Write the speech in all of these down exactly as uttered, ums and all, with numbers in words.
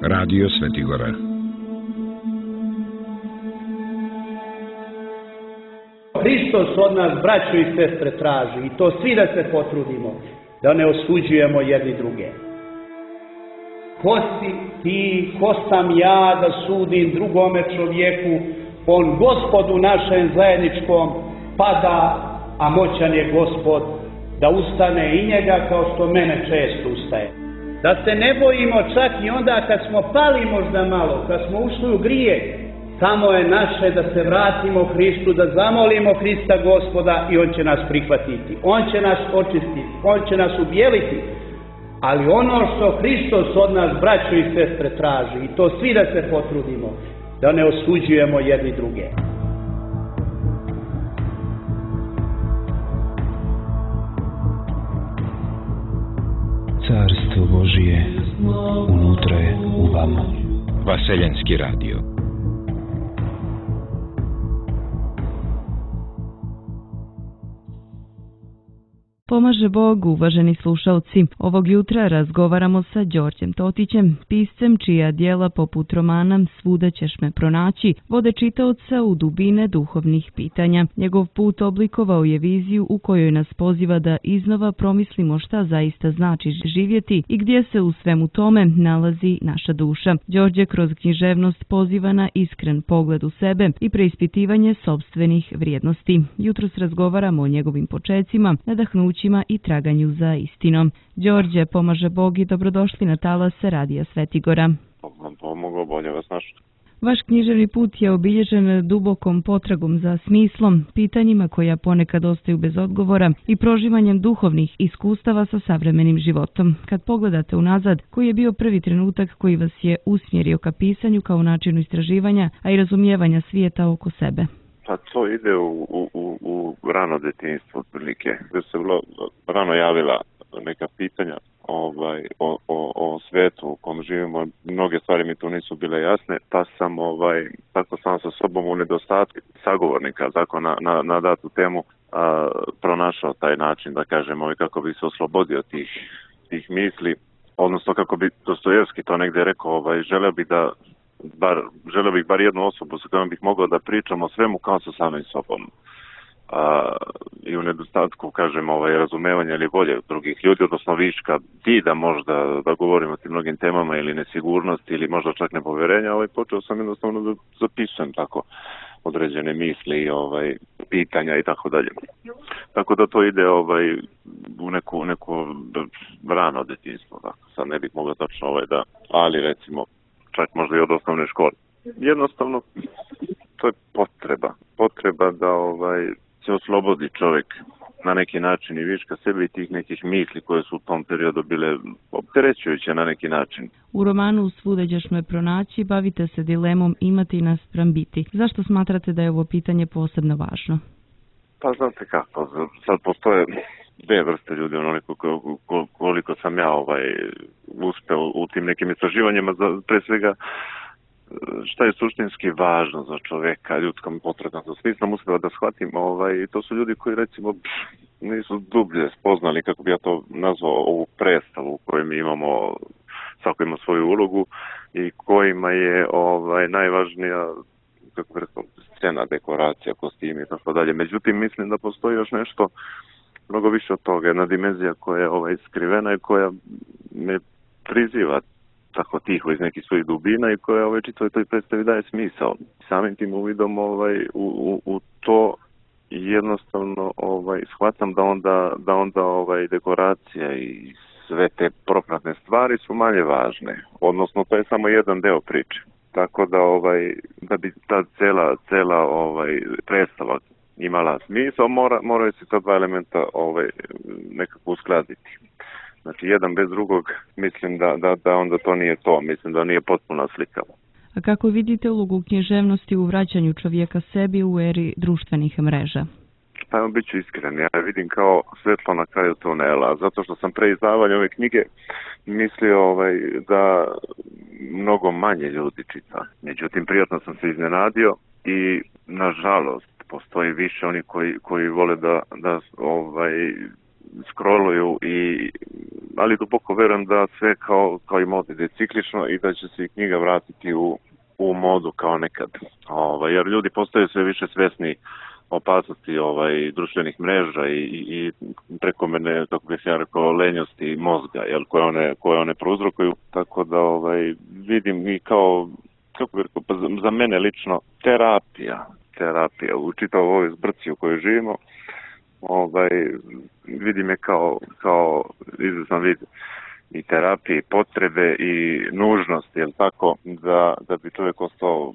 Radio Svetigora. Hristos od nas, braćo i sestre, traži, i to svi da se potrudimo, da ne osuđujemo jedni druge. Ko si ti, ko sam ja da sudim drugome čovjeku, on Gospodu našem zajedničkom pada, a moćan je Gospod da ustane i njega kao što mene često ustaje. Da se ne bojimo čak i onda kad smo pali možda malo, kad smo ušli u grije, samo je naše da se vratimo Hristu, da zamolimo Hrista Gospoda i On će nas prihvatiti. On će nas očistiti, On će nas ubijeliti. Ali ono što Hristos od nas, braćo i sestre, traži, i to svi da se potrudimo, da ne osuđujemo jedni druge. Carstvo Božije unutra je u vama. Vaseljenski radio. Pomaže Bog, uvaženi slušalci. Ovog jutra razgovaramo sa Đorđem Totićem, piscem čija djela poput romana Svuda ćeš me pronaći vode čitaoca u dubine duhovnih pitanja. Njegov put oblikovao je viziju u kojoj nas poziva da iznova promislimo šta zaista znači živjeti i gdje se u svemu tome nalazi naša duša. Đorđe kroz književnost poziva na iskren pogled u sebe i preispitivanje sopstvenih vrijednosti. Jutros razgovaramo o njegovim počecima, nadahnućima i traganju za istinom. Đorđe, pomaže Bog i dobrodošli na talase Radija Svetigora. Vam pomogao, bolje vas našao. Vaš književni put je obilježen dubokom potragom za smislom, pitanjima koja ponekad ostaju bez odgovora i proživanjem duhovnih iskustava sa savremenim životom. Kad pogledate unazad, koji je bio prvi trenutak koji vas je usmjerio ka pisanju kao načinu istraživanja, a i razumijevanja svijeta oko sebe? Pa to ide u, u, u rano djetinjstvo otprilike, gdje se vrlo rano javila neka pitanja ovaj, o, o, o svijetu u kom živimo. Mnoge stvari mi tu nisu bile jasne, pa sam ovaj, tako sam sa sobom u nedostatku sagovornika tako na, na, na datu temu a, pronašao taj način, da kažem, ovaj, kako bi se oslobodio tih, tih misli, odnosno kako bi Dostojevski to negdje rekao, ovaj, želeo bi da Bar, želeo bih bar jednu osobu sa kojom bih mogao da pričam o svemu kao sa samim sobom. A, I u nedostatku, kažem, ovaj, razumevanja ili volje drugih ljudi, odnosno viška da možda da govorim o tim mnogim temama ili nesigurnosti ili možda čak nepovjerenja, ovaj, počeo sam jednostavno da zapisujem tako određene misli i ovaj, pitanja i tako dalje. Tako da to ide ovaj, u neku, neku rano djetinjstvo. Tako. Sad ne bih mogao tačno ovaj, da, ali recimo čak možda i od osnovne škole. Jednostavno, to je potreba. Potreba da ovaj, se oslobodi čovjek na neki način i viška sebe i tih nekih misli koje su u tom periodu bile opterećujuće na neki način. U romanu Svuda ćeš me pronaći bavite se dilemom imati naspram biti. Zašto smatrate da je ovo pitanje posebno važno? Pa znate kako, sad postoje dvije vrste ljudi, onoliko koliko sam ja ovaj, uspeo u tim nekim istraživanjima, za, pre svega šta je suštinski važno za čovjeka, ljudskom potrebom za smislom, uspeo da shvatim, ovaj, to su ljudi koji recimo pff, nisu dublje spoznali, kako bi ja to nazvao, ovu predstavu u kojoj mi imamo, svako ima svoju ulogu i kojima je ovaj, najvažnija, kako bi rekao, scena, dekoracija, kostimi i tako dalje. Međutim, mislim da postoji još nešto mnogo više od toga, jedna dimenzija koja je ovaj, skrivena i koja me priziva tako tiho iz nekih svojih dubina i koja ovaj, čitavoj toj predstavi daje smisao. Samim tim uvidom ovaj, u, u, u to jednostavno ovaj, shvatam da onda, da onda ovaj, dekoracija i sve te propratne stvari su manje važne. Odnosno, to je samo jedan deo priče. Tako da, ovaj, da bi ta cela, cela ovaj, predstava imala smisao, mora, moraju se ta dva elementa ovaj, nekako uskladiti. Znači, jedan bez drugog, mislim da, da, da onda to nije to, mislim da nije potpuna slika. A kako vidite ulogu književnosti u vraćanju čovjeka sebi u eri društvenih mreža? Pa evo, bit ću iskren, ja vidim kao svetlo na kraju tunela, zato što sam pre izdavanja ove knjige mislio ovaj, da mnogo manje ljudi čita. Međutim, prijatno sam se iznenadio i, nažalost, postoji više oni koji, koji vole da, da ovaj, scrolluju i ali duboko verujem da sve kao, kao i mod ide ciklično i da će se i knjiga vratiti u, u modu kao nekad. Ovaj, jer ljudi postaju sve više svesni opasnosti ovaj, društvenih mreža i, i, i prekomerne, kako bih ja rekao, lenjosti mozga, jel, koje one, koje one prouzrokuju. Tako da ovaj, vidim i kao, kako bih rekao, pa za, za mene lično terapija, terapija u čitavoj ovoj zbrci u kojoj živimo, ovaj, vidim je kao, kao izvestan vid i terapije, i potrebe i nužnost, jel tako, da, da bi čovjek ostao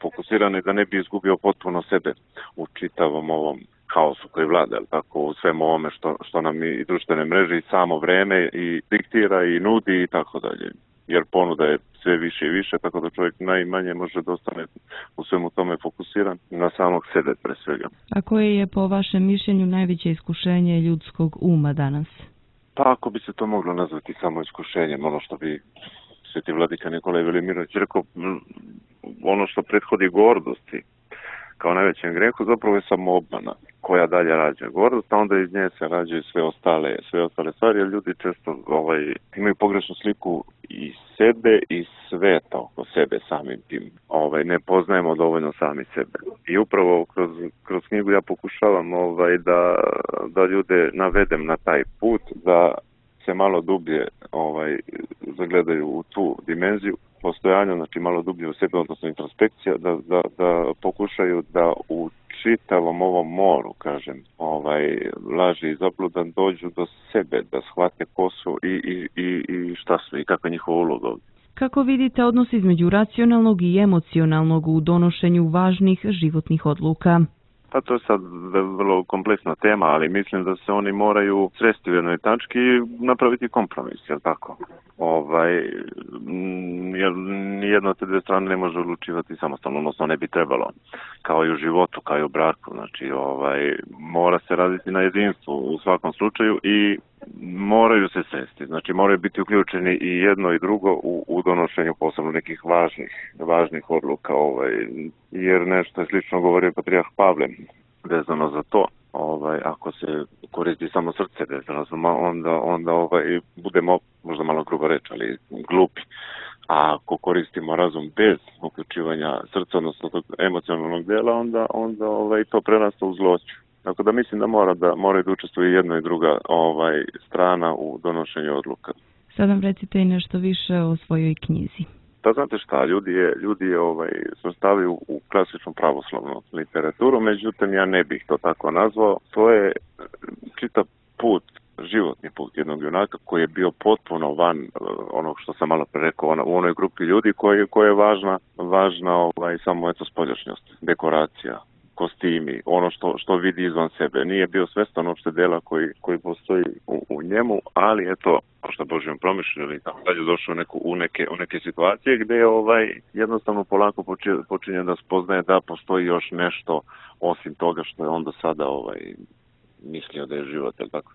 fokusiran i da ne bi izgubio potpuno sebe u čitavom ovom kaosu koji vlada, jel tako, u svemu ovome što, što nam i društvene mreže i samo vreme i diktira i nudi i tako dalje. Jer ponuda je sve više i više, tako da čovjek najmanje može da ostane u svemu tome fokusiran na samog sebe pre svega. A koje je po vašem mišljenju najveće iskušenje ljudskog uma danas? Pa ako bi se to moglo nazvati samo iskušenjem, ono što bi sveti vladika Nikolaj Velimirović rekao, ono što prethodi gordosti kao najvećem grehu, zapravo je samo obmana koja dalje rađa gordost, a onda iz nje se rađaju sve ostale, sve ostale stvari, jer ljudi često ovaj, imaju pogrešnu sliku i sebe i sveta oko sebe samim tim. Ovaj, ne poznajemo dovoljno sami sebe. I upravo kroz, kroz knjigu ja pokušavam ovaj, da, da ljude navedem na taj put, da se malo dublje ovaj, zagledaju u tu dimenziju postojanja, znači malo dublje u sebe, odnosno introspekcija, da, da, da pokušaju da u čitavom ovom moru, kažem, ovaj, laži i zabludan dođu do sebe, da shvate ko su i, i, i, i šta su i kakva je njihova uloga ovdje. Kako vidite odnos između racionalnog i emocionalnog u donošenju važnih životnih odluka? Pa to je sad vrlo kompleksna tema, ali mislim da se oni moraju sresti u jednoj tački i napraviti kompromis, jel tako? Ovaj, jer nijedno od te dve strane ne može odlučivati samostalno, odnosno ne bi trebalo, kao i u životu, kao i u braku. Znači, ovaj, mora se raditi na jedinstvu u svakom slučaju i moraju se sresti, znači moraju biti uključeni i jedno i drugo u, u donošenju posebno nekih važnih, važnih odluka, ovaj, jer nešto je slično govorio Patrijah Pavle vezano za to. Ovaj, ako se koristi samo srce vezano za onda, onda ovaj, budemo, možda malo grubo reći, ali glupi. A ako koristimo razum bez uključivanja srca, odnosno tog emocionalnog dela, onda, onda ovaj, to prerasta u zloću. Tako da mislim da mora da moraju da učestvuju jedna i druga ovaj, strana u donošenju odluka. Sad nam recite i nešto više o svojoj knjizi. Pa znate šta, ljudi je, ljudi je ovaj, svrstavaju u klasičnu pravoslavnu literaturu, međutim ja ne bih to tako nazvao. To je čitav put, životni put jednog junaka koji je bio potpuno van uh, onog što sam malo pre rekao, ona, u onoj grupi ljudi koji, koja je važna, važna ovaj, samo eto spoljašnjost, dekoracija, kostimi, ono što, što vidi izvan sebe. Nije bio svestan uopšte dela koji, koji postoji u, u njemu, ali eto, što Božjom promišljeno ili tako dalje, došao u, neku, u, neke, u neke situacije gde je ovaj, jednostavno polako počinje, počinje da spoznaje da postoji još nešto osim toga što je onda sada ovaj, mislio da je život, jel tako?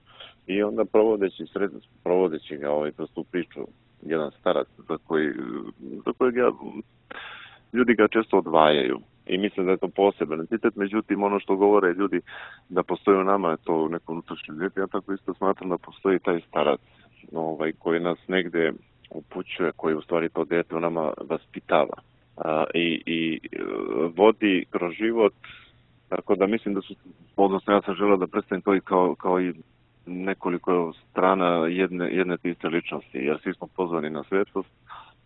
I onda provodeći, sred, provodeći ga ovaj, kroz tu priču, jedan starac za, koji, za kojeg ja, ljudi ga često odvajaju. I mislim da je to poseban entitet, međutim ono što govore ljudi da postoji u nama je to u nekom unutrašnjem djetu, ja tako isto smatram da postoji taj starac ovaj, koji nas negde upućuje, koji u stvari to dete u nama vaspitava a, i, i vodi kroz život, tako da mislim da su, odnosno ja sam želeo da predstavim to i kao, kao i nekoliko strana jedne, jedne te iste ličnosti, jer svi smo pozvani na svetlost.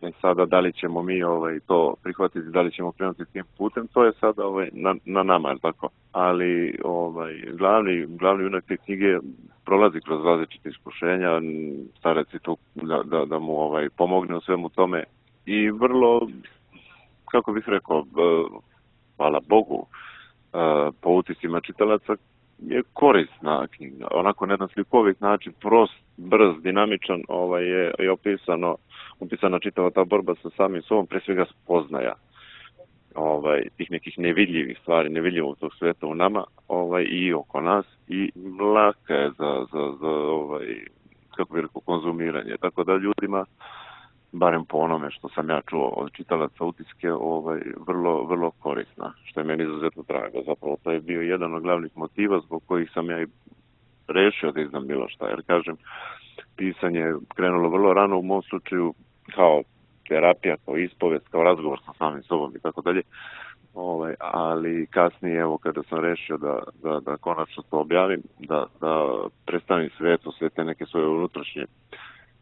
I sada da li ćemo mi ovaj, to prihvatiti, da li ćemo krenuti tim putem, to je sada ovaj, na, na nama, je tako? Ali ovaj, glavni, glavni junak te knjige prolazi kroz različite iskušenja, starac je tu da, da, da mu ovaj, pomogne u svemu tome i vrlo, kako bih rekao, hvala Bogu, po utiscima čitalaca, je korisna knjiga. Onako na jedan slikovit način, prost, brz, dinamičan, ovaj, je, je opisano, opisana čitava ta borba sa samim sobom, pre svega spoznaja ovaj, tih nekih nevidljivih stvari, nevidljivog tog sveta u nama ovaj, i oko nas i laka je za, za, za ovaj, kako bih rekao, konzumiranje. Tako da ljudima, barem po onome što sam ja čuo od čitalaca utiske, ovaj, vrlo, vrlo korisna, što je meni izuzetno drago. Zapravo to je bio jedan od glavnih motiva zbog kojih sam ja i rešio da izdam bilo šta, jer kažem, pisanje je krenulo vrlo rano u mom slučaju kao terapija, kao ispovest, kao razgovor sa samim sobom i tako dalje. Ovaj, ali kasnije, evo, kada sam rešio da, da, da konačno to objavim, da, da predstavim svetu sve te neke svoje unutrašnje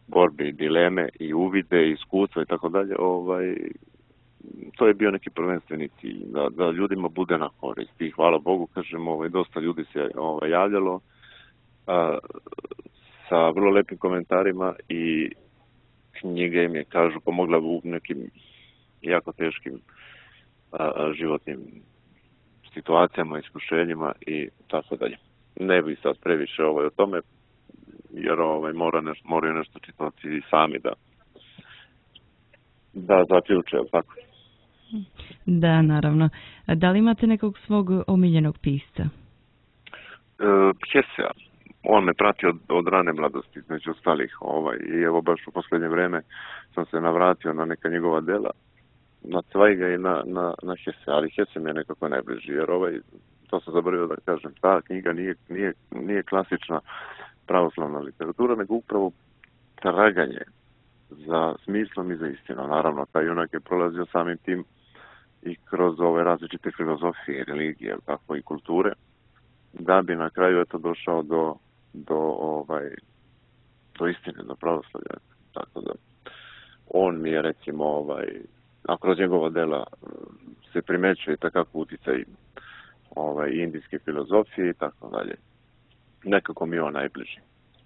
borbe i dileme i uvide i iskustva i tako dalje, ovaj, to je bio neki prvenstveni cilj, da, da ljudima bude na korist. I hvala Bogu, kažem, ovaj, dosta ljudi se ovaj, javljalo a, sa vrlo lepim komentarima i knjiga im je, kažu, pomogla u nekim jako teškim a, životnim situacijama, iskušenjima i tako dalje. Ne bih sad previše ovaj, o tome, jer ovaj, mora neš, moraju nešto čitavci i sami da da zaključe, tako. Da, naravno. A da li imate nekog svog omiljenog pisca? E, Hesea. On me prati od, od rane mladosti, među ostalih. Ovaj, I evo baš u posljednje vreme sam se navratio na neka njegova dela, na Cvajga i na, na, na Hesea, ali Hese mi je nekako najbliži, jer ovaj, to sam zaboravio da kažem, ta knjiga nije, nije, nije klasična pravoslavna literatura, nego upravo traganje za smislom i za istinom. Naravno, taj junak je prolazio samim tim i kroz ove različite filozofije, religije, tako i kulture, da bi na kraju eto došao do, do, ovaj, do istine, do pravoslavlja. Tako da, on mi je, recimo, ovaj, a kroz njegova dela se primećuje takako uticaj ovaj, indijske filozofije i tako dalje. Nekako mi je on najbliži.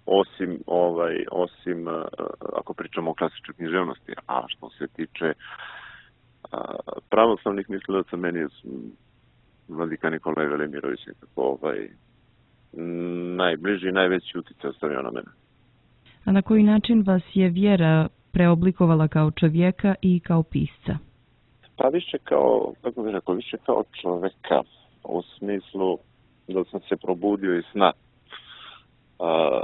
Osim, ovaj, osim ako pričamo o klasičnoj književnosti, a što se tiče a, pravoslavnih mislilaca, meni je vladika Nikolaj Velimirović nekako ovaj, najbliži i najveći utjecaj ostavio na mene. A na koji način vas je vjera preoblikovala kao čovjeka i kao pisca? Pa više kao, kako bih rekao, više kao čovjeka, u smislu da sam se probudio iz sna. A,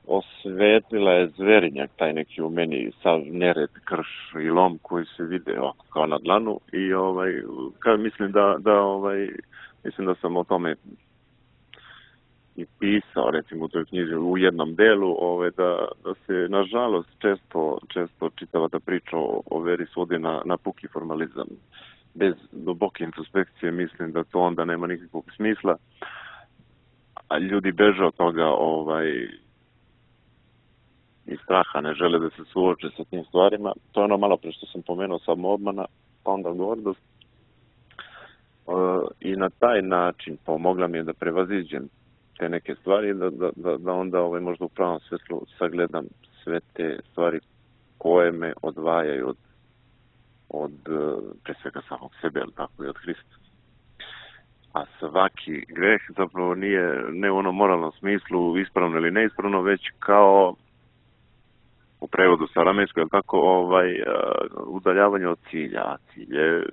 osvetlila je zverinjak taj neki u meni, sav nered, krš i lom koji se vide ovako kao na dlanu i ovaj, kao mislim da, da ovaj, mislim da sam o tome i pisao, recimo u toj knjizi u jednom delu, ovaj, da, da se nažalost često, često čitava ta priča o, o veri svodi na, na puki formalizam. Bez duboke introspekcije mislim da to onda nema nikakvog smisla, a ljudi beže od toga ovaj, iz straha, ne žele da se suoče sa tim stvarima. To je ono malo pre što sam pomenuo, samoobmana, pa onda gordost. E, I na taj način pomogla mi je da prevaziđem te neke stvari, da, da, da, da onda ovaj, možda u pravom svetlu sagledam sve te stvari koje me odvajaju od, od pre svega samog sebe, ali tako i od Hrista. A svaki greh zapravo nije ne u onom moralnom smislu ispravno ili neispravno, već kao u prevodu sa aramejskog, je tako, ovaj, udaljavanje od cilja, a cilj je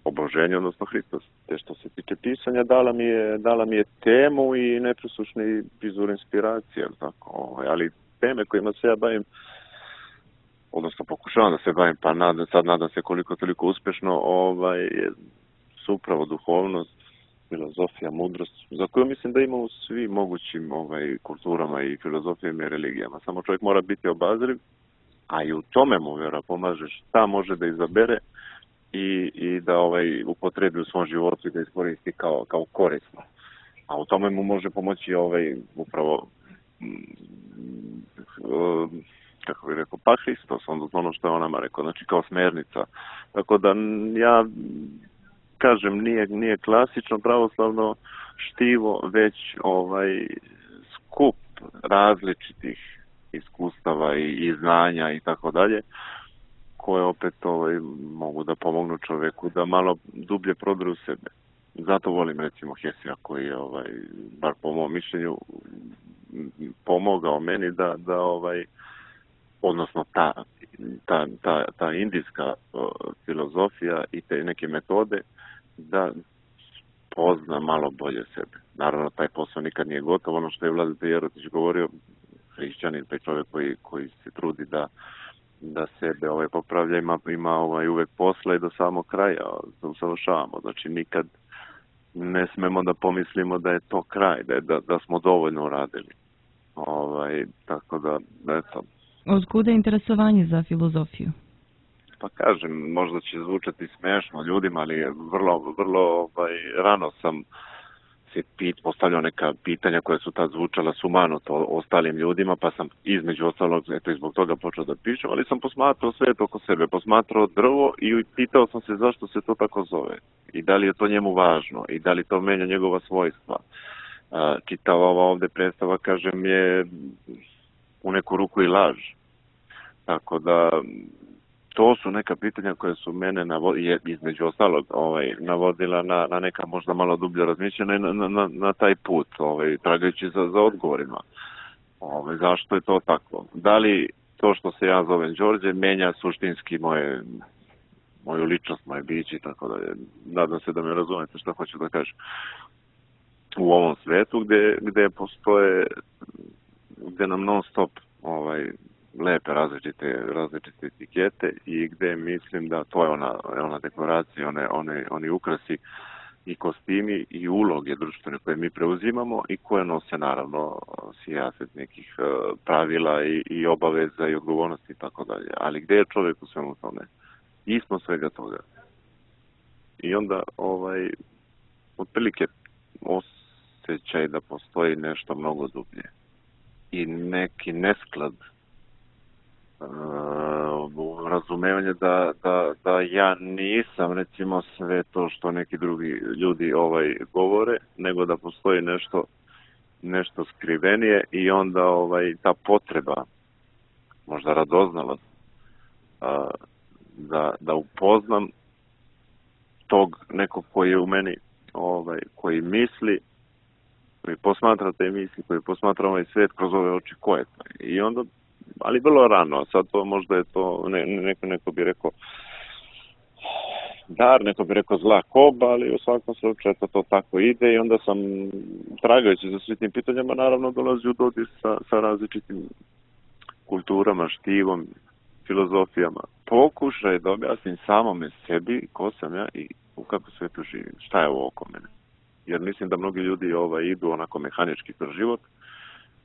oboženje, odnosno Hristos. Te što se tiče pisanja, dala mi je, dala mi je temu i nepresušni izvor inspiracije, tako, ovaj, ali teme kojima se ja bavim, odnosno pokušavam da se bavim, pa nadam, sad nadam se koliko toliko uspešno, ovaj, su upravo duhovnost, filozofija, mudrost, za koju mislim da ima u svim mogućim ovaj, kulturama i filozofijama i religijama. Samo čovjek mora biti obazriv, a i u tome mu vjera pomaže šta može da izabere i, i da ovaj, upotrebi u svom životu i da iskoristi kao, kao korisno. A u tome mu može pomoći ovaj, upravo kako bih rekao, pa Hristos, onda ono što je on nama rekao, znači kao smernica. Tako da ja kažem, nije, nije klasično pravoslavno štivo, već ovaj skup različitih iskustava i, i znanja i tako dalje, koje opet ovaj, mogu da pomognu čovjeku da malo dublje prodru sebe. Zato volim recimo Hesea koji je, ovaj, bar po mom mišljenju, pomogao meni da, da ovaj, odnosno ta, ta, ta, ta indijska uh, filozofija i te neke metode, da pozna malo bolje sebe. Naravno, taj posao nikad nije gotov. Ono što je Vladeta Jerotić govorio, hrišćanin, pa čovjek koji, koji se trudi da, da sebe ovaj, popravlja, ima, ima ovaj, uvek posla i do samog kraja da usavršavamo. Znači, nikad, ne smemo da pomislimo da je to kraj, da, je, da, da smo dovoljno uradili. Ovaj, tako da, eto. Od kuda je interesovanje za filozofiju? Pa kažem, možda će zvučati smešno ljudima, ali vrlo, vrlo ovaj, rano sam se pit, postavljao neka pitanja koja su tad zvučala sumanuto ostalim ljudima, pa sam između ostalog, eto i zbog toga počeo da pišem, ali sam posmatrao svet oko sebe, posmatrao drvo i pitao sam se zašto se to tako zove i da li je to njemu važno i da li to menja njegova svojstva. Čitava ova ovde predstava, kažem, je u neku ruku i laž. Tako da to su neka pitanja koje su mene navodila, između ostalog, ovaj, navodila na, na neka možda malo dublje razmišljena i na, na, na taj put, ovaj, tragajući za, za odgovorima. Ovaj, zašto je to tako? Da li to što se ja zovem Đorđe menja suštinski moje, moju ličnost, moje biće i tako da je, nadam se da me razumete što hoću da kažem. U ovom svetu gde, gde postoje, gde nam non stop ovaj, lepe različite, različite etikete i gde mislim da to je ona, ona dekoracija, one, one, oni ukrasi i kostimi i uloge društvene koje mi preuzimamo i koje nose naravno sijaset nekih pravila i, i obaveza i odgovornosti i tako dalje. Ali gde je čovjek u svemu tome? Ispod svega toga. I onda ovaj, otprilike osjećaj da postoji nešto mnogo dublje i neki nesklad, uh, razumevanje da, da, da ja nisam recimo sve to što neki drugi ljudi ovaj govore, nego da postoji nešto nešto skrivenije i onda ovaj ta potreba, možda radoznalost, uh, da, da upoznam tog nekog koji je u meni, ovaj, koji misli, koji posmatra te misli, koji posmatra ovaj svijet kroz ove oči, ko je to? I onda, ali vrlo rano, sad to možda je to, ne, neko, neko bi rekao dar, neko bi rekao zla koba, ali u svakom slučaju to tako ide i onda sam, tragajući za svim tim pitanjama, naravno dolazi u dodir sa, sa različitim kulturama, štivom, filozofijama. Pokušaj da objasnim samome sebi ko sam ja i u kakvom svetu živim, šta je ovo oko mene. Jer mislim da mnogi ljudi ovaj, idu onako mehanički kroz život,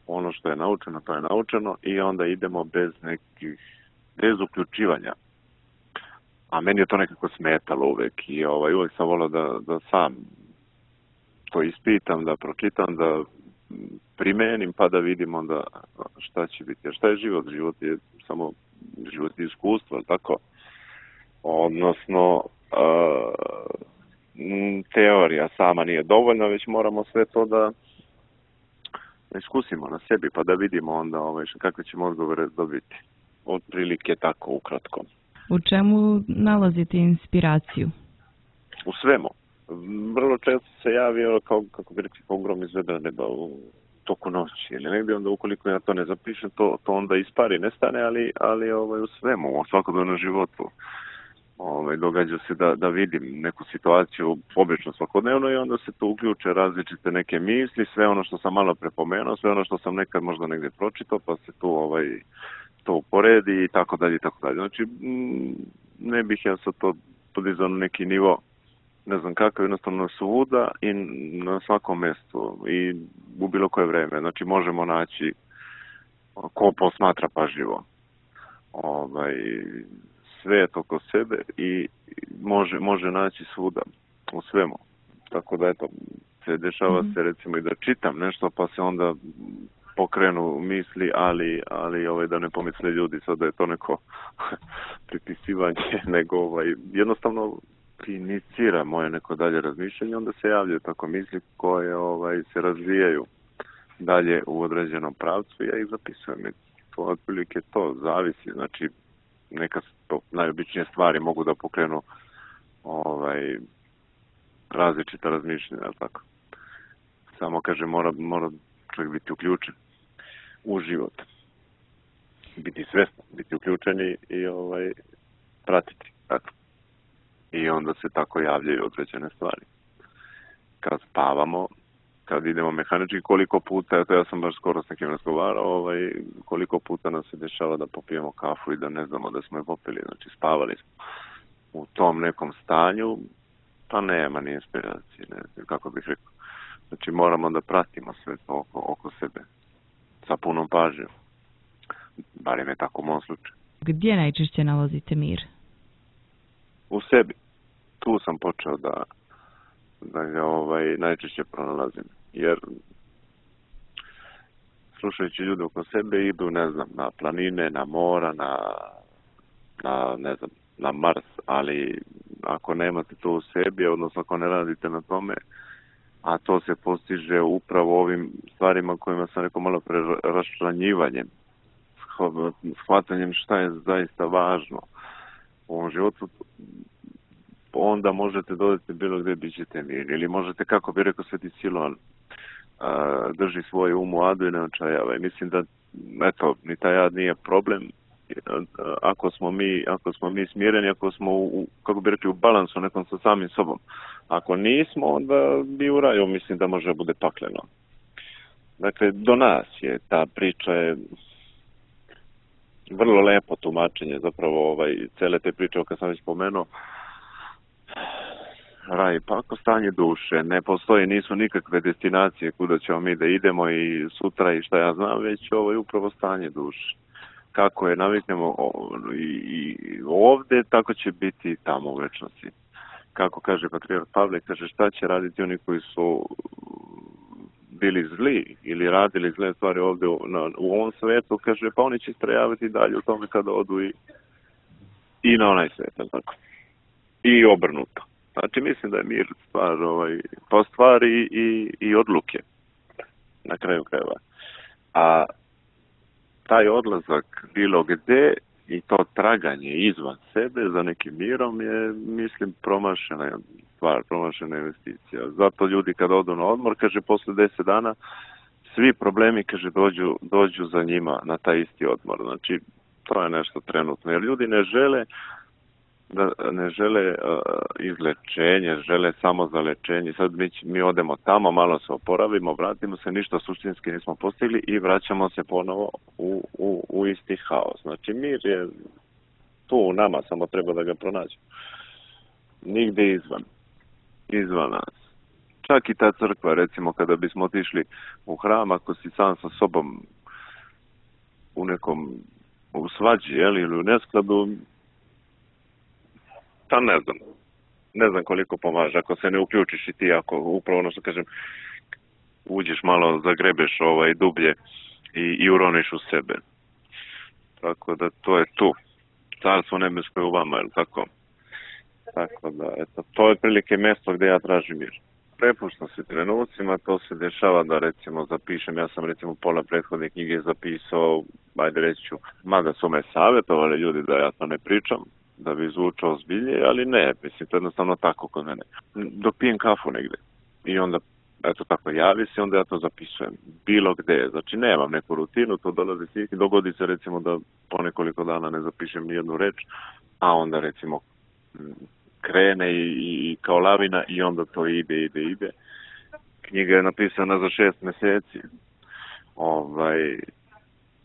ono što je naučeno, to je naučeno i onda idemo bez nekih, bez uključivanja. A meni je to nekako smetalo uvek i ovaj, uvek sam volao da, da sam to ispitam, da pročitam, da primenim pa da vidim onda šta će biti. Jer šta je život? Život je samo život je iskustvo, ali tako? Odnosno, uh, teorija sama nije dovoljna, već moramo sve to da iskusimo na sebi, pa da vidimo onda ovaj, kakve ćemo odgovore dobiti. Otprilike tako, ukratko. U čemu nalazite inspiraciju? U svemu. Vrlo često se javio kao, kako bi rekli, pogrom iz vedra neba u toku noći ili negdje, onda ukoliko ja to ne zapišem, to, to onda ispari, nestane, ali, ali ovaj, u svemu, u svakodnevnom životu. Ovaj, događa se da, da vidim neku situaciju obično svakodnevno i onda se tu uključe različite neke misli, sve ono što sam malo prepomenuo, sve ono što sam nekad možda negdje pročitao, pa se tu ovaj, to uporedi i tako dalje i tako dalje. Znači, ne bih ja sad to podizao na neki nivo, ne znam kako, jednostavno svuda i na svakom mjestu i u bilo koje vreme. Znači, možemo naći ko posmatra pažljivo. Ovaj, svet oko sebe i može, može naći svuda, u svemu. Tako da, eto, se dešava mm-hmm. se recimo i da čitam nešto, pa se onda pokrenu misli, ali, ali ovaj, da ne pomisle ljudi sad da je to neko pripisivanje, nego ovaj, jednostavno inicira moje neko dalje razmišljanje, onda se javljaju tako misli koje ovaj, se razvijaju dalje u određenom pravcu i ja ih zapisujem. To otprilike to zavisi, znači neka to najobičnije stvari mogu da pokrenu ovaj, različita razmišljenja, tako. Samo, kaže, mora, mora čovjek biti uključen u život. Biti svjestan, biti uključen i, i ovaj, pratiti, tako. I onda se tako javljaju određene stvari. Kad spavamo, kad idemo mehanički, koliko puta, eto ja sam baš skoro s nekim razgovarao, ovaj, koliko puta nam se dešava da popijemo kafu i da ne znamo da smo je popili, znači spavali smo u tom nekom stanju, Pa nema ni inspiracije, ne znam kako bih rekao. Znači moramo da pratimo sve to oko, oko sebe sa punom pažnjom. Barem je tako u mom slučaju. Gdje najčešće nalazite mir? U sebi. Tu sam počeo da, da ga ovaj, najčešće pronalazim. Jer slušajući ljude oko sebe idu, ne znam, na planine, na mora, na, na ne znam, na Mars, ali ako nemate to u sebi, odnosno ako ne radite na tome, a to se postiže upravo ovim stvarima kojima sam rekao malo pre, raščlanjivanjem, shvatanjem šta je zaista važno u ovom životu, onda možete dodati bilo gdje bit ćete mir. Ili možete, kako bi rekao Sveti Siloan, drži svoj um u adu i ne očajava. I mislim da, eto, ni taj ad nije problem. Ako smo mi, ako smo mi smireni, ako smo u, kako bi rekli, u balansu nekom sa samim sobom. Ako nismo, onda bi u raju, mislim da može bude pakleno. Dakle, do nas je ta priča je vrlo lepo tumačenje zapravo ovaj, cele te priče, kad sam već spomenuo. Raj, pa ako stanje duše, ne postoji, nisu nikakve destinacije kuda ćemo mi da idemo i sutra i šta ja znam, već ovo je upravo stanje duše. Kako je naviknemo i, i ovde, tako će biti tamo u večnosti. Kako kaže patrijarh Pavle, kaže šta će raditi oni koji su bili zli ili radili zle stvari ovde u, na, u ovom svetu, kaže pa oni će istrajavati dalje u tome kada odu i, i na onaj svet, tako. I obrnuto. Znači mislim da je mir stvar, ovaj, po stvari i, i odluke na kraju krajeva. A taj odlazak bilo gde i to traganje izvan sebe za nekim mirom je, mislim, promašena stvar, promašena investicija. Zato ljudi kad odu na odmor, kaže, posle deset dana, svi problemi, kaže, dođu, dođu za njima na taj isti odmor. Znači, to je nešto trenutno. Jer ljudi ne žele da ne žele uh, izlečenje, žele samo za lečenje. Sad mi, mi odemo tamo, malo se oporavimo, vratimo se, ništa suštinski nismo postigli i vraćamo se ponovo u, u, u isti haos. Znači mir je tu u nama, samo treba da ga pronađemo. Nigde izvan. Izvan nas. Čak i ta crkva, recimo, kada bismo otišli u hram, ako si sam sa sobom u nekom u svađi, jel, ili u neskladu, pa ne znam, ne znam koliko pomaže, ako se ne uključiš i ti, ako upravo ono što kažem, uđeš malo, zagrebeš ovaj dublje i, i uroniš u sebe. Tako da to je tu. Carstvo nebesko je u vama, je li tako? Tako da, eto, to je prilike mjesto gdje ja tražim mir. Prepuštam se trenucima, to se dešava da recimo zapišem, ja sam recimo pola prethodne knjige zapisao, ajde reći ću, mada su me savjetovali ljudi da ja to ne pričam, da bi zvučao ozbiljnije, ali ne, mislim, to je jednostavno tako kod mene. Dok pijem kafu negde i onda, eto tako, javi se, onda ja to zapisujem, bilo gde, znači nemam neku rutinu, to dolazi svih, dogodi se recimo da po nekoliko dana ne zapišem ni jednu reč, a onda recimo krene i, i kao lavina i onda to ide, ide, ide. Knjiga je napisana za šest mjeseci, ovaj,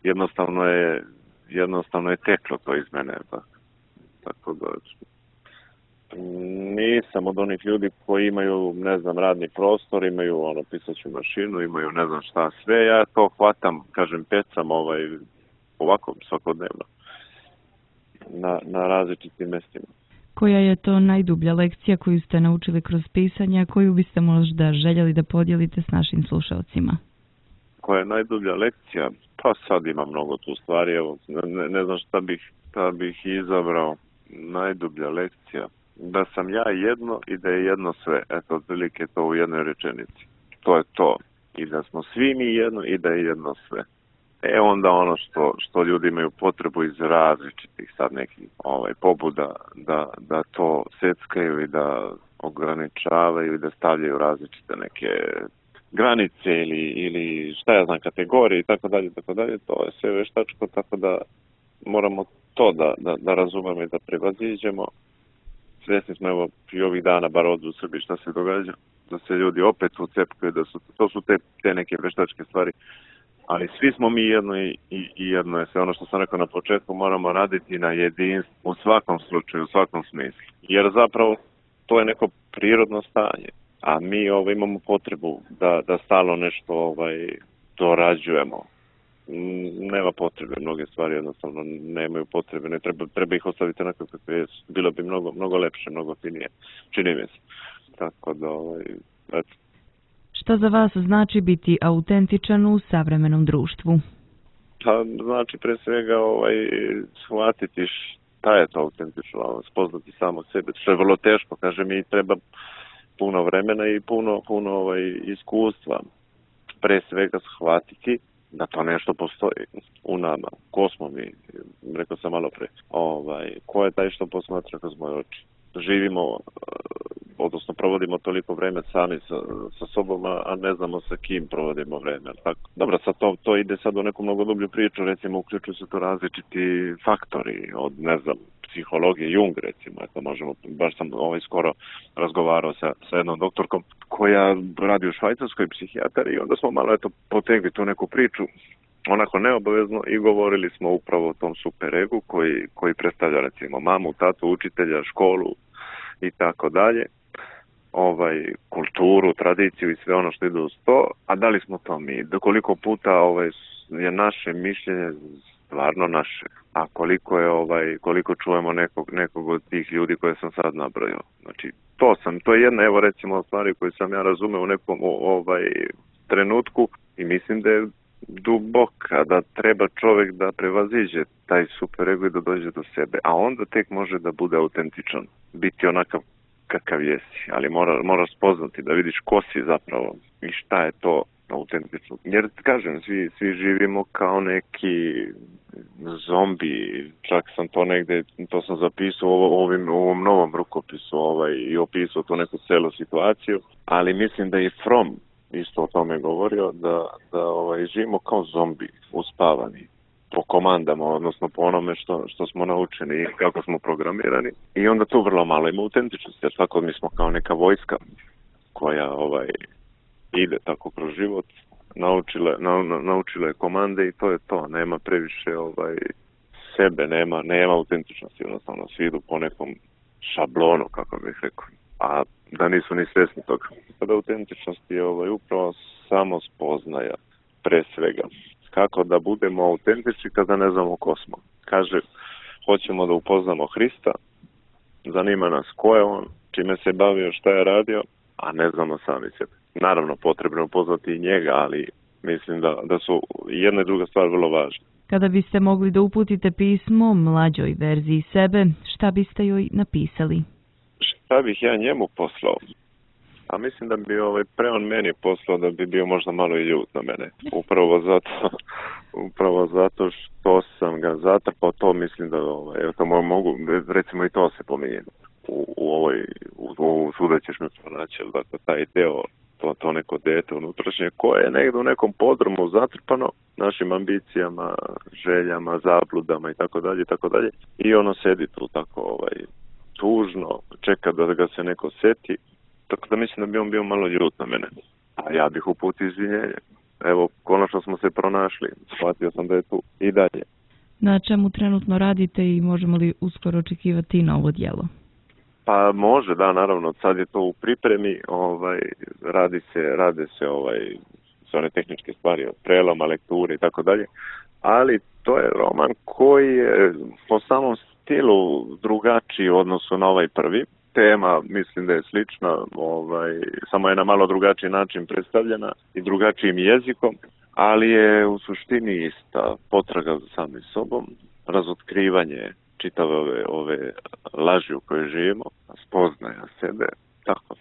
jednostavno je, jednostavno je teklo to iz mene, tako. Tako da nisam od onih ljudi koji imaju, ne znam, radni prostor, imaju ono pisaću mašinu, imaju ne znam šta sve, ja to hvatam, kažem, pecam ovaj, ovako svakodnevno na, na različitim mjestima. Koja je to najdublja lekcija koju ste naučili kroz pisanje, a koju biste možda željeli da podijelite s našim slušalcima? Koja je najdublja lekcija? Pa sad ima mnogo tu stvari, evo, ne, ne znam šta bih, šta bih izabrao. Najdublja lekcija, da sam ja jedno i da je jedno sve. Eto, otprilike to u jednoj rečenici. To je to. I da smo svi mi jedno i da je jedno sve. E onda ono što, što ljudi imaju potrebu iz različitih sad nekih ovaj, pobuda da, da to seckaju i da ograničavaju i da stavljaju različite neke granice ili, ili šta ja znam, kategorije i tako dalje, tako dalje. To je sve veštačko, tako da moramo to da, da, da razumemo i da prevaziđemo. Svjesni smo evo i ovih dana, bar ovdje u Srbiji, šta se događa, da se ljudi opet ucepkaju, da su, to su te, te neke veštačke stvari, ali svi smo mi jedno i, i, i jedno je sve. Ono što sam rekao na početku, moramo raditi na jedinstvu u svakom slučaju, u svakom smislu. Jer zapravo to je neko prirodno stanje. A mi ovaj, imamo potrebu da, da stalno nešto ovaj, dorađujemo. Nema potrebe, mnoge stvari jednostavno nemaju potrebe, ne treba, treba ih ostaviti onako kakve jesu. Bilo bi mnogo, mnogo lepše, mnogo finije, čini mi se. Tako da, ovaj, eto. Šta za vas znači biti autentičan u savremenom društvu? Pa, znači, pre svega, ovaj, shvatiti šta je to autentično, spoznati samo sebe, što je vrlo teško, kaže mi, treba puno vremena i puno, puno ovaj, iskustva. Pre svega shvatiti da to nešto postoji u nama. Ko smo mi? Rekao sam malo pre. Ovaj, ko je taj što posmatra kroz moje oči? Živimo, odnosno provodimo toliko vreme sami sa, sa sobom, a ne znamo sa kim provodimo vreme. Tako? Dobro, sad to, to ide sad u neku mnogo dublju priču, recimo uključuju se tu različiti faktori, od, ne znam, psihologije, Jung recimo, eto možemo, baš sam ovaj skoro razgovarao sa, sa jednom doktorkom koja radi u Švajcarskoj, psihijatar, i onda smo malo eto potegli tu neku priču, onako neobavezno, i govorili smo upravo o tom superegu koji, koji predstavlja recimo mamu, tatu, učitelja, školu i tako dalje, ovaj, kulturu, tradiciju i sve ono što ide uz to, a da li smo to mi? Da koliko puta ovaj, je naše mišljenje stvarno naše, a koliko je ovaj koliko čujemo nekog nekog od tih ljudi koje sam sad nabrojao. Znači to sam to je jedna evo recimo stvari koju sam ja razumeo u nekom ovaj trenutku i mislim da je duboka, da treba čovjek da prevaziđe taj superego i da dođe do sebe, a onda tek može da bude autentičan, biti onakav kakav jesi, ali mora, moraš spoznati da vidiš ko si zapravo i šta je to autentično. Jer, kažem, svi, svi živimo kao neki zombi, čak sam to negde, to sam zapisao u ovim, ovom novom rukopisu ovaj, i opisao tu neku celu situaciju, ali mislim da i Fromm isto o tome govorio, da, da ovaj, živimo kao zombi, uspavani, po komandama, odnosno po onome što, što smo naučeni i kako smo programirani. I onda tu vrlo malo ima autentičnosti, jer tako mi smo kao neka vojska koja ovaj, ide tako kroz život, naučile, na, na, naučile komande i to je to, nema previše ovaj, sebe, nema, nema autentičnosti, jednostavno svi idu po nekom šablonu, kako bih rekao, a da nisu ni svjesni toga. Kada autentičnost je ovaj, upravo samo spoznaja, pre svega. Kako da budemo autentični kada ne znamo ko smo. Kaže, hoćemo da upoznamo Hrista, zanima nas ko je on, čime se bavio, šta je radio, a ne znamo sami sebe. Naravno, potrebno upoznati i njega, ali mislim da, da su jedna i druga stvar vrlo važne. Kada biste mogli da uputite pismo mlađoj verziji sebe, šta biste joj napisali? Šta bih ja njemu poslao? A mislim da bi ovaj pre on meni poslao da bi bio možda malo i ljut na mene. Upravo zato, upravo zato što sam ga zatrpao, to mislim da ovaj, evo to mogu, recimo i to se pominje u, u ovoj, u, u svuda ćeš me pronaći, dakle taj deo, to, to neko dete unutrašnje koje je negdje u nekom podrumu zatrpano našim ambicijama, željama, zabludama i tako dalje i tako dalje. I ono sedi tu tako ovaj, tužno, čeka da ga se neko seti. Tako da mislim da bi on bio malo ljut na mene. A ja bih uputio izvinjenje. Evo, konačno smo se pronašli. Shvatio sam da je tu i dalje. Na čemu trenutno radite i možemo li uskoro očekivati novo djelo? Pa može, da, naravno. Sad je to u pripremi. Ovaj, radi se, rade se ovaj, sve one tehničke stvari, preloma, lekture i tako dalje. Ali to je roman koji je po samom stilu drugačiji u odnosu na ovaj prvi. Tema mislim da je slična, ovaj, samo je na malo drugačiji način predstavljena i drugačijim jezikom, ali je u suštini ista potraga za samim sobom, razotkrivanje čitave ove, ove laži u kojoj živimo, spoznaja sebe, tako.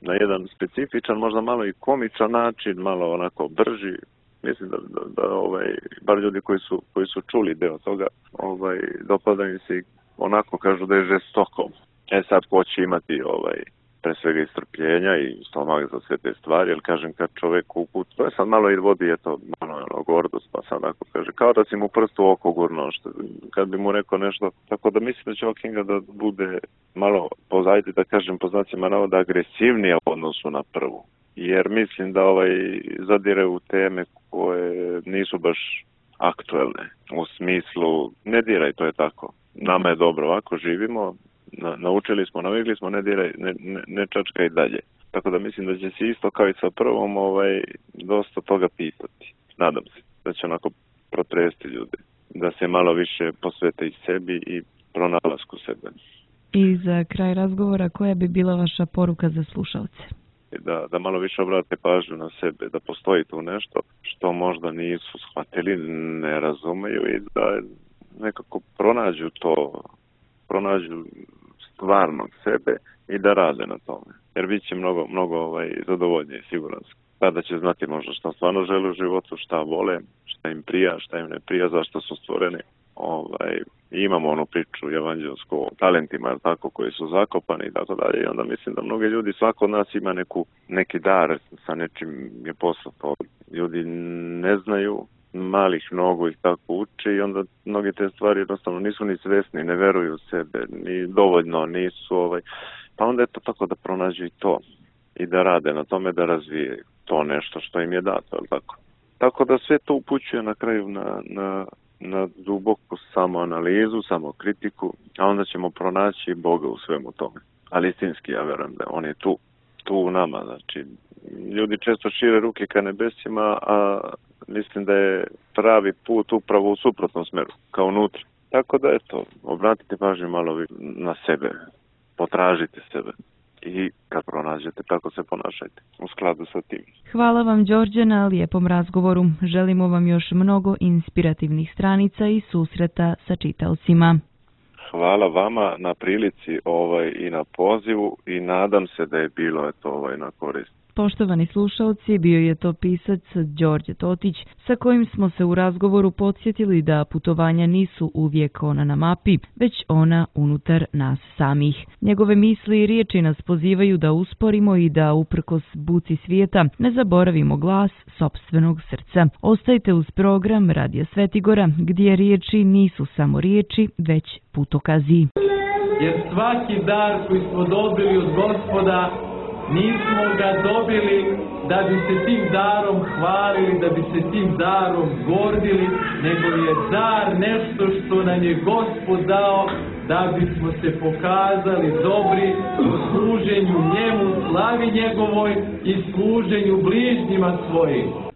Na jedan specifičan, možda malo i komičan način, malo onako brži. Mislim da, da, da ovaj, bar ljudi koji su, koji su čuli deo toga, ovaj, dopada mi se i onako kažu da je žestoko. E sad, ko će imati ovaj, pre svega istrpljenja i stomak za sve te stvari, jer kažem kad čovjek uput, to je sad malo i vodi, je to malo ono, gordost, pa sad ako kaže, kao da si mu prstu u oko gurno, što, kad bi mu rekao nešto, tako da mislim da će ova knjiga da bude malo, pozajte da kažem po znacima navoda, agresivnija u odnosu na prvu, jer mislim da ovaj zadire u teme koje nisu baš aktuelne, u smislu, ne diraj, to je tako, nama je dobro, ovako živimo, Na, naučili smo, navikli smo, ne diraj, ne, ne, ne čačkaj dalje. Tako da mislim da će se isto kao i sa prvom ovaj, dosta toga pitati. Nadam se da će onako protresti ljude, da se malo više posvete i sebi i pronalasku sebe. I za kraj razgovora, koja bi bila vaša poruka za slušalce? Da, da malo više obrate pažnju na sebe, da postoji tu nešto što možda nisu shvatili, ne razumeju i da nekako pronađu to, pronađu stvarnog sebe i da rade na tome. Jer bit će mnogo, mnogo ovaj, zadovoljnije, siguran sam. Tada će znati možda šta stvarno žele u životu, šta vole, šta im prija, šta im ne prija, zašto su stvoreni. Ovaj, imamo onu priču evanđelsku o talentima, tako, koji su zakopani i tako dalje. I onda mislim da mnogi ljudi, svako od nas ima neku, neki dar sa nečim je poslato. Ljudi ne znaju, malih mnogo ih tako uče i onda mnogi te stvari jednostavno nisu ni svesni, ne veruju u sebe, ni dovoljno, nisu ovaj... Pa onda je to tako da pronađu i to i da rade na tome, da razvije to nešto što im je dato, je tako? Tako da sve to upućuje na kraju na, na, na duboku samoanalizu, samokritiku, a onda ćemo pronaći Boga u svemu tome. Ali istinski, ja verujem da on je tu, tu u nama, znači ljudi često šire ruke ka nebesima, a mislim da je pravi put upravo u suprotnom smeru, kao unutra. Tako da, eto, obratite pažnju malo na sebe, potražite sebe i kad pronađete, tako se ponašajte u skladu sa tim. Hvala vam, Đorđe, na lijepom razgovoru. Želimo vam još mnogo inspirativnih stranica i susreta sa čitaocima. Hvala vama na prilici ovaj, i na pozivu i nadam se da je bilo eto, ovaj, na korist. Poštovani slušalci, bio je to pisac Đorđe Totić, sa kojim smo se u razgovoru podsjetili da putovanja nisu uvijek ona na mapi, već ona unutar nas samih. Njegove misli i riječi nas pozivaju da usporimo i da, uprkos buci svijeta, ne zaboravimo glas sopstvenog srca. Ostajte uz program Radija Svetigora, gdje riječi nisu samo riječi, već putokazi. Jer svaki dar koji smo dobili od Gospoda, nismo ga dobili da bi se tim darom hvalili, da bi se tim darom gordili, nego je dar nešto što nam je Gospod dao da bismo se pokazali dobri u služenju njemu, slavi njegovoj i služenju bližnjima svojim.